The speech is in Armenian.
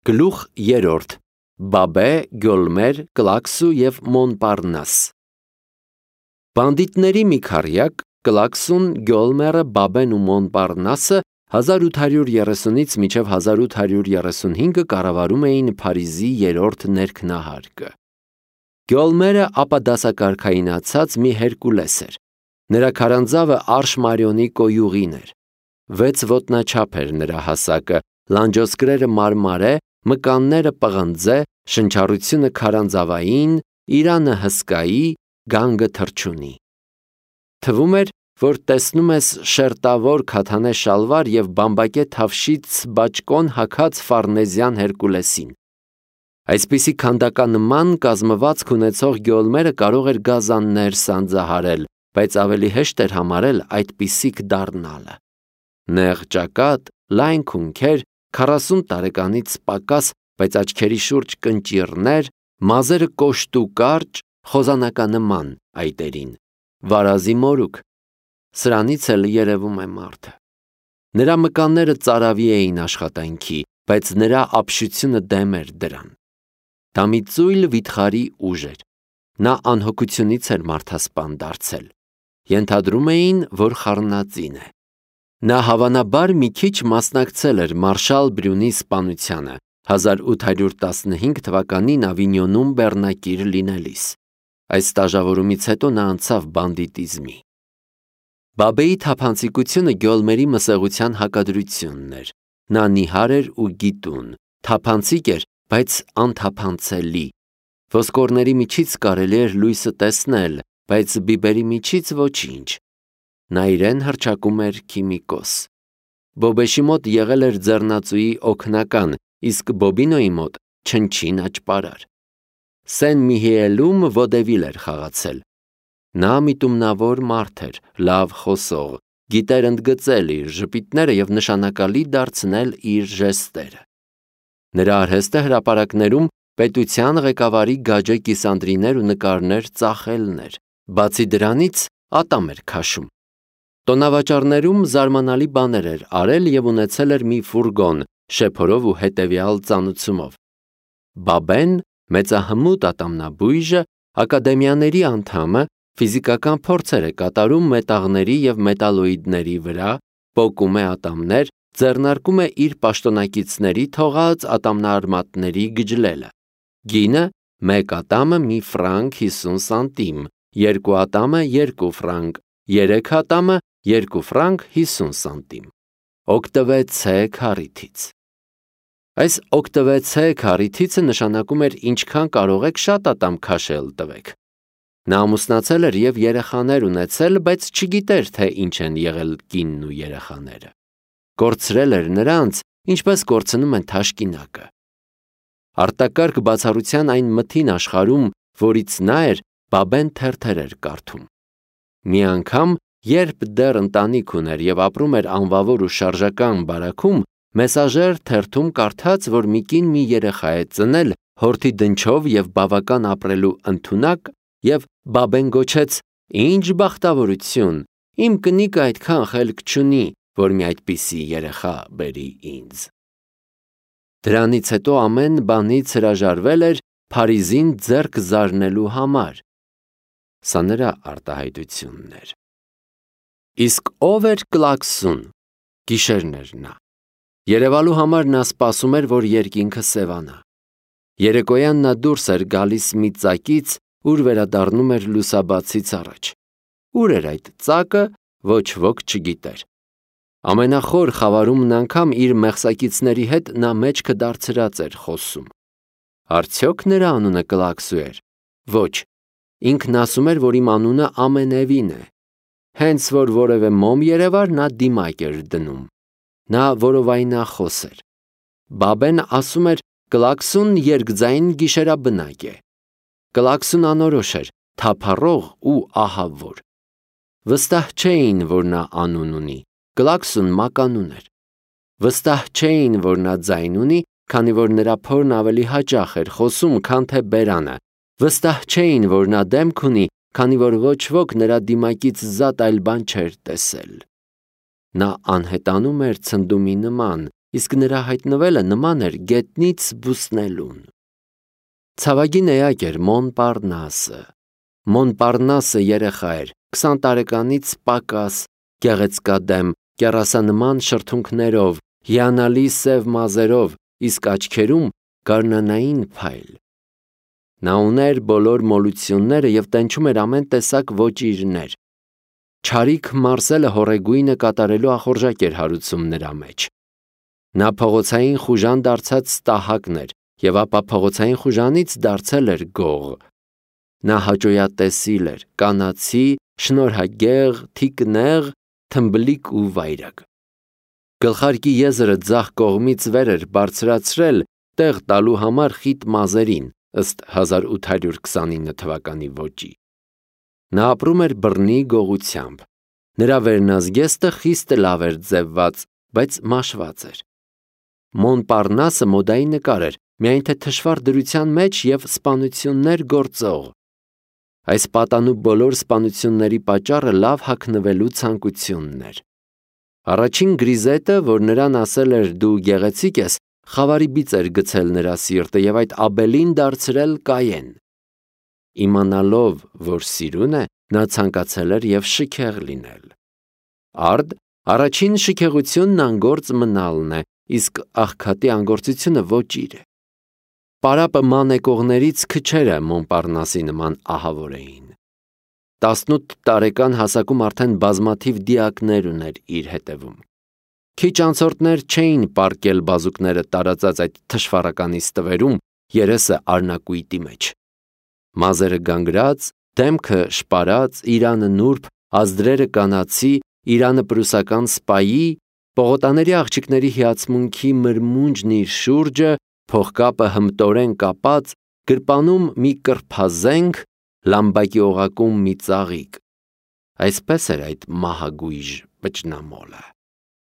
Գլուխ 3. Բաբե, Գյոլմեր, Կլաքսու և Մոնպարնաս։ Բանդիտների մի քառյակ, Կլաքսուն, Գյոլմերը, Բաբեն ու Մոնպարնասը 1830-ից մինչև 1835 կառավարում էին Փարիզի երրորդ ներքնահարկը։ Գյոլմերը ապադասակարգայնացած մի Հերկուլես էր։ Նրա քարանձավը արշմարիոնի կոյուղին էր։ 6 ոտնաչափ էր նրա հասակը, լանջոսկրերը մարմարե, մկանները պղնձե, շնչառությունը քարանձավային, իրանը հսկայի, գանգը թռչունի։ Թվում էր, որ տեսնում ես շերտավոր քաթանե շալվար և բամբակե թավշից բաճկոն հագած ֆարնեզյան Հերկուլեսին։ Այսպիսի քանդականման կազմվածք ունեցող Գյոլմերը կարող էր գազաններ սանձահարել, բայց ավելի հեշտ էր համարել այդպիսիք դառնալը։ Նեղ ճակատ, լայն քունքեր, 40 տարեկանից պակաս, բայց աչքերի շուրջ կնճիռներ, մազերը կոշտ ու կարճ, խոզանականման այտերին, վարազի մորուք։ Սրանից էլ երևում է մարդը։ Նրա մկանները ծարավի էին աշխատանքի, բայց նրա ապշությունը դեմ էր դրան։ Դա մի ծույլ վիթխարի ուժ էր։ Նա անհոգությունից էր մարդասպան դարձել։ Ենթադրում էին, որ խառնածին է։ Նա հավանաբար մի քիչ մասնակցել էր Մարշալ Բրյունի սպանությանը 1815 թվականին Ավինյոնում բեռնակիր լինելիս։ Այս ստաժավորումից հետո նա անցավ բանդիտիզմի։ Բաբեի թափանցիկությունը Գյոլմերի մսեղության հակադրությունն էր։ Նա նիհար էր ու գիտուն, թափանցիկ էր, բայց անթափանցելի։ Ոսկորների միջից կարելի էր լույսը տեսնել, բայց բիբերի միջից ոչինչ։ Նա իրեն հռչակում էր քիմիկոս։ Բոբեշի մոտ եղել էր ձեռնածուի օգնական, իսկ Բոբինոյի մոտ չնչին աճպարար։ Սեն Միհիելում ոդևիլ էր խաղացել։ Նա միտումնավոր մարդ էր, լավ խոսող, գիտեր ընդգծել իր ժպիտները և նշանակալի դարձնել իր ժեստերը։ Նրա արհեստը հրապարակներում պետության ղեկավարի գաջե կիսանդրիներ ու նկարներ ծախելն էր։ Բացի դրանից ատամ էր քաշում։ Տոնավաճառներում զարմանալի բաներ էր արել և ունեցել էր մի ֆուրգոն, շեփորով ու հետևյալ ծանուցումով։ Բաբեն, մեծահմուտ ատամնաբույժը, ակադեմիաների անդամը, ֆիզիկական փորձեր է կատարում մետաղների և մետալոիդների վրա, պոկում է ատամներ, ձեռնարկում է իր պաշտոնակիցների թողած ատամնարմատների գջլելը։ Գինը՝ 1 ատամը մի ֆրանկ 50 սանտիմ, 2 ատամը 2 ֆրանկ, 3 ատամը 2 ֆրանկ 50 սանտիմ։ Օգտվեցե քառիթից։ Այս օգտվեցե քառիթիցը նշանակում էր ինչքան կարող եք շատ ատամ քաշել տվեք։ Նա ամուսնացել էր և երեխաներ ունեցել, բայց չգիտեր, թե ինչ են եղել կինն ու երեխաները։ Կորցրել էր նրանց, ինչպես կորցնում են թաշկինակը։ Արտակարգ բացառության այն մթին աշխարհում, որից նա էր, Բաբեն թերթեր էր կարդում։ Մի անգամ, երբ դեռ ընտանիք ուներ և ապրում էր անվավոր ու շարժական բարաքում, Մեսաժեր թերթում կարդաց, որ մի կին մի երեխա է ծնել, հորթի դնչով և բավական ապրելու ընդունակ, և Բաբեն գոչեց. «Ինչ բախտավորություն, իմ կնիկը այդքան խելք չունի, որ մի այդպիսի երեխա բերի ինձ»։ Դրանից հետո ամեն բանից հրաժարվել էր Փարիզին ձեռք զարնելու համար։ Սա նրա արտահայտությունն էր։ Իսկ ով էր Կլաքսուն։ Գիշերն էր նա։ Երևալու համար նա սպասում էր, որ երկինքը սևանա։ Երեկոյան նա դուրս էր գալիս մի ծակից, ուր վերադառնում էր լուսաբացից առաջ։ Ուր էր այդ ծակը, ոչ ոք չգիտեր։ Ամենախոր խավարումն անգամ իր մեղսակիցների հետ նա մեջքը դարձրած էր խոսում։ Արդյոք նրա անունը Կլաքսու էր։ Ոչ, ինքն ասում էր, որ իմ անունը ամենևին է։ Հենց որ որևէ մոմ երևար, նա դիմակ էր դնում։ Նա որովայնախոս էր։ Բաբեն ասում էր. Կլաքսուն երկձայն գիշերաբնակ է։ Կլաքսուն անորոշ էր, թափառող ու ահավոր։ Վստահ չէին, որ նա անուն ունի։ Կլաքսուն մականուն էր։ Վստահ չէին, որ նա ձայն ունի, քանի որ նրա փորն ավելի հաճախ էր խոսում, քան թե բերանը։ Վստահ չէին, որ նա դեմք ունի, քանի որ ոչ ոք նրա դիմակից զատ այլ բան չէր տեսել։ Նա անհետանում էր ցնդումի նման, իսկ նրա հայտնվելը նման էր գետնից բուսնելուն։ Ցավագին էակ էր Մոնպարնասը։ Մոնպարնասը երեխա էր, 20 տարեկանից պակաս, գեղեցկադեմ, կեռասանման շրթունքներով, հիանալի սև մազերով, իսկ աչքերում գարնանային փայլ։ Նա ուներ բոլոր մոլությունները և տենչում էր ամեն տեսակ ոճիրներ։ Չարիք Մարսելը հորեգույնը կատարելու ախորժակ էր հարուցում նրա մեջ։ Նա փողոցային խուժան դարձած ստահակն էր և ապա փողոցային խուժանից դարձել էր գող։ Նա հաճոյատեսիլ էր, կանացի, շնորհագեղ, թիկնեղ, թմբլիկ ու վայրագ։ Գլխարկի եզրը ձախ կողմից վեր էր բարձրացրել տեղ տալու համար խիտ մազերին, ըստ 1829 թվականի ոճի։ Նա ապրում էր բռնի գողությամբ։ Նրա վերնազգեստը խիստ լավ էր ձևված, բայց մաշված էր։ Մոնպարնասը մոդայի նկար էր, միայն թե թշվառ դրության մեջ և սպանություններ գործող։ Այս պատանու բոլոր սպանությունների պատճառը լավ հագնվելու ցանկությունն էր։ Առաջին գրիզետը, որ նրան ասել էր դու գեղեցիկ ես, խավարի բիծ էր գցել նրա սիրտը և այդ աբելին դարձրել Կայեն։ Իմանալով, որ սիրուն է, նա ցանկացել էր և շքեղ լինել։ Արդ, առաջին շքեղությունն անգործ մնալն է, իսկ աղքատի անգործությունը ոճիր է։ Պարապը ման եկողներից քչերը Մոնպարնասի նման ահավոր էին։ 18 տարեկան հասակում արդեն բազմաթիվ դիակներ ուներ իր հետևում։ Քիչ անցորդներ չէին պառկել բազուկները տարածած այդ թշվառականի ստվերում, երեսը արնակույտի մեջ։ Մազերը գանգրած, դեմքը շպարած, իրանը նուրբ, ազդրերը կանացի, իրանը պրուսական սպայի, պողոտաների աղջիկների հիացմունքի մրմունջն իր շուրջը, փողկապը հմտորեն կապած, գրպանում մի կրփազենք, լամբակի օղակում մի ծաղիկ։ Այսպես էր այդ մահագույժ վճնամոլը։